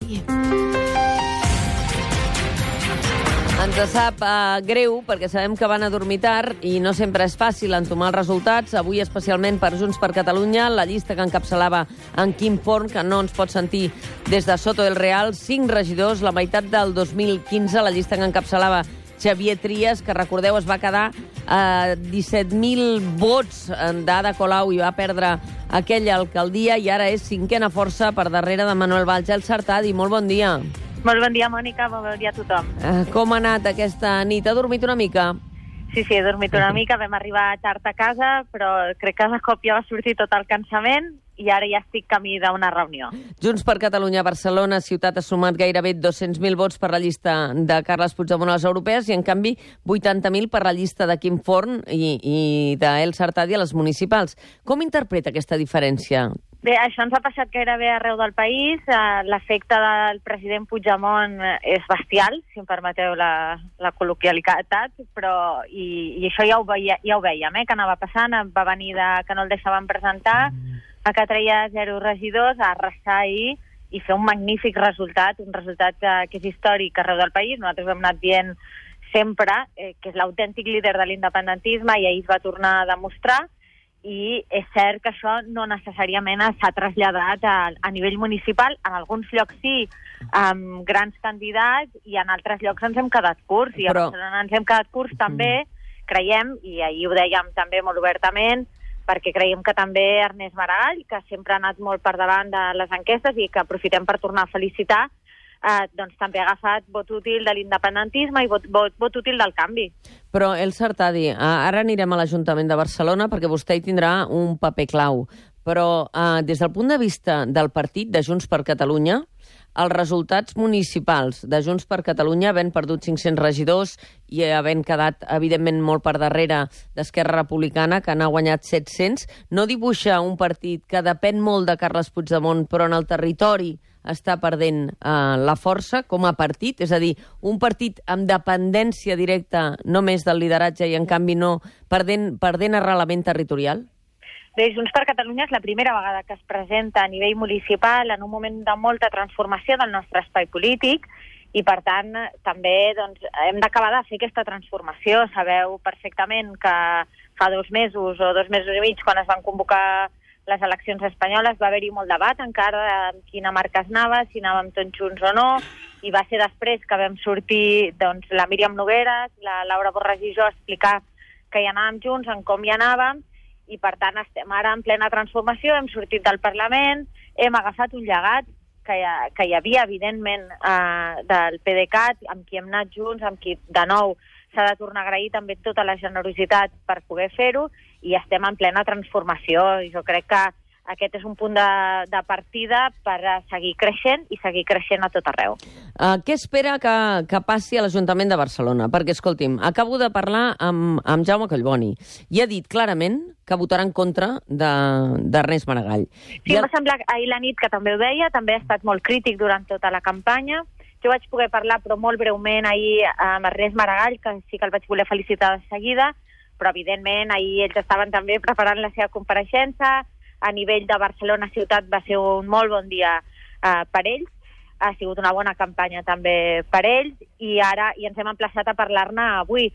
Sartadi. Ens sap greu perquè sabem que van a dormir tard i no sempre és fàcil entomar els resultats. Avui, especialment per Junts per Catalunya, la llista que encapçalava en Quim Forn, que no ens pot sentir des de Soto del Real, 5 regidors, la meitat del 2015, la llista que encapçalava Xavier Trias, que recordeu es va quedar a 17.000 vots d'Ada Colau i va perdre aquella alcaldia i ara és cinquena força per darrere de Manuel Valls. El Sartadi, molt bon dia. Molt bon dia, Mònica, molt bon dia a tothom. Com ha anat aquesta nit? Ha dormit una mica? Sí, he dormit una mica, vam arribar tard a casa, però crec que de cop ja va sortir tot el cansament i ara ja estic camí d'una reunió. Junts per Catalunya, Barcelona, ciutat ha sumat gairebé 200.000 vots per la llista de Carles Puigdemont a les europees i, en canvi, 80.000 per la llista de Quim Forn i d'El Sartadi a les municipals. Com interpreta aquesta diferència? Bé, això ens ha passat gairebé arreu del país. L'efecte del president Puigdemont és bestial, si em permeteu la col·loquialitat, però i això ja ho veiem, que anava passant. Va venir que no el deixaven presentar, que treia 0 regidors, a arrasar ahir i fer un magnífic resultat, un resultat que és històric arreu del país. Nosaltres ho hem anat dient sempre, que és l'autèntic líder de l'independentisme i ahir es va tornar a demostrar. I és cert que això no necessàriament s'ha traslladat a nivell municipal. En alguns llocs sí, amb grans candidats, i en altres llocs ens hem quedat curts. I a Barcelona ens hem quedat curts també, creiem, i ahir ho dèiem també molt obertament, perquè creiem que també Ernest Maragall, que sempre ha anat molt per davant de les enquestes i que aprofitem per tornar a felicitar, doncs també ha agafat vot útil de l'independentisme i vot útil del canvi. Però, El Sartadi, ara anirem a l'Ajuntament de Barcelona perquè vostè hi tindrà un paper clau. Però des del punt de vista del partit de Junts per Catalunya, els resultats municipals de Junts per Catalunya, havent perdut 500 regidors i havent quedat, evidentment, molt per darrere d'Esquerra Republicana, que n'ha guanyat 700, no dibuixa un partit que depèn molt de Carles Puigdemont, però en el territori està perdent la força com a partit? És a dir, un partit amb dependència directa només del lideratge i, en canvi, no perdent arrelament territorial? Bé, Junts per Catalunya és la primera vegada que es presenta a nivell municipal en un moment de molta transformació del nostre espai polític i, per tant, també hem d'acabar de fer aquesta transformació. Sabeu perfectament que fa 2 mesos o 2 mesos i mig, quan es van convocar les eleccions espanyoles, va haver-hi molt debat encara en quina marca es anava, si anàvem tots junts o no, i va ser després que vam sortir la Míriam Nogueras, la Laura Borràs i jo a explicar que hi anàvem junts, en com hi anàvem, i per tant estem ara en plena transformació, hem sortit del Parlament, hem agafat un llegat que hi havia, evidentment, del PDeCAT, amb qui hem anat junts, amb qui, de nou, s'ha de tornar a agrair també tota la generositat per poder fer-ho, i estem en plena transformació. I jo crec que aquest és un punt de partida per seguir creixent i seguir creixent a tot arreu. Què espera que passi a l'Ajuntament de Barcelona? Perquè, escolti'm, acabo de parlar amb Jaume Collboni i ha dit clarament que votarà en contra d'Ernest Maragall. Sí, em va semblar ahir la nit que també ho deia, també ha estat molt crític durant tota la campanya. Jo vaig poder parlar, però molt breument, ahir amb Ernest Maragall, que sí que el vaig voler felicitar de seguida, però evidentment ahir ells estaven també preparant la seva compareixença. A nivell de Barcelona ciutat va ser un molt bon dia per ells, ha sigut una bona campanya també per ells, i ara ens hem emplaçat a parlar-ne avui.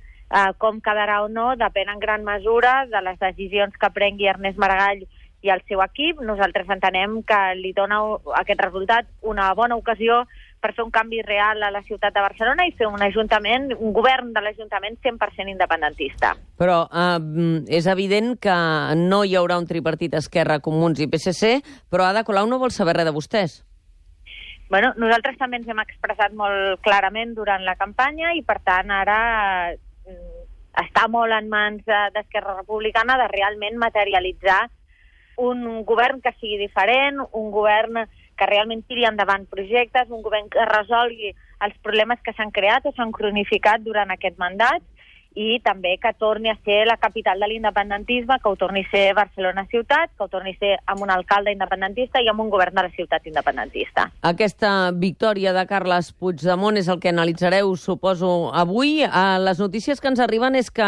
Com quedarà o no depèn en gran mesura de les decisions que prengui Ernest Maragall i el seu equip. Nosaltres entenem que li dona aquest resultat una bona ocasió per fer un canvi real a la ciutat de Barcelona i fer un govern de l'Ajuntament 100% independentista. Però és evident que no hi haurà un tripartit Esquerra, Comuns i PSC, però Ada Colau no vol saber res de vostès. Bueno, nosaltres també ens hem expressat molt clarament durant la campanya i, per tant, ara està molt en mans d'Esquerra Republicana de realment materialitzar un govern que sigui diferent, un govern que realment tiri endavant projectes, un govern que resolgui els problemes que s'han creat o s'han cronificat durant aquest mandat i també que torni a ser la capital de l'independentisme, que ho torni a ser Barcelona ciutat, que ho torni a ser amb un alcalde independentista i amb un govern de la ciutat independentista. Aquesta victòria de Carles Puigdemont és el que analitzareu, suposo, avui. Les notícies que ens arriben és que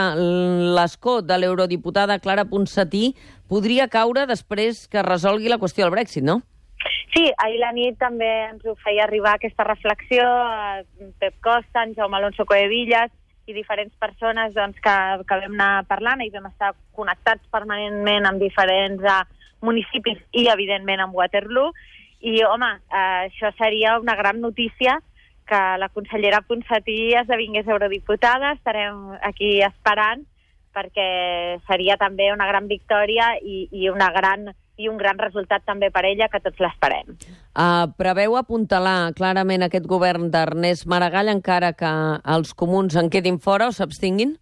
l'escó de l'eurodiputada Clara Ponsatí podria caure després que resolgui la qüestió del Brexit, no? Sí, ahir la nit també ens ho feia arribar aquesta reflexió Pep Costa, en Jaume Alonso Coevillas i diferents persones doncs, que vam anar parlant i vam estar connectats permanentment amb diferents municipis i, evidentment, amb Waterloo. I, home, això seria una gran notícia que la consellera Ponsatí esdevingués eurodiputada. Estarem aquí esperant perquè seria també una gran victòria i un gran resultat també per ella, que tots l'esperem. Preveu apuntalar clarament aquest govern d'Ernest Maragall encara que els comuns en quedin fora o s'abstinguin?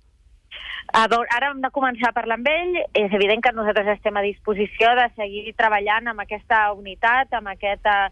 Ara hem de començar a parlar amb ell. És evident que nosaltres estem a disposició de seguir treballant amb aquesta unitat, amb aquesta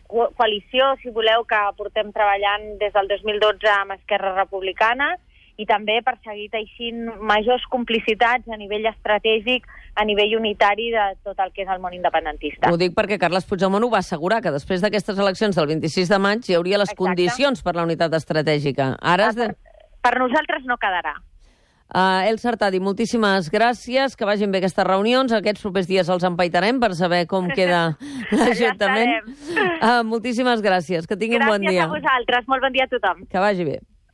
coalició, si voleu, que portem treballant des del 2012 amb Esquerra Republicana, i també per seguir teixint majors complicitats a nivell estratègic, a nivell unitari de tot el que és el món independentista. Ho dic perquè Carles Puigdemont ho va assegurar, que després d'aquestes eleccions del 26 de maig hi hauria les condicions per la unitat estratègica. Ara per nosaltres no quedarà. Elsa Artadi, moltíssimes gràcies, que vagin bé aquestes reunions. Aquests propers dies els empaitarem per saber com queda l'Ajuntament. Moltíssimes gràcies, que tingui un bon dia. Gràcies a vosaltres, molt bon dia a tothom. Que vagi bé.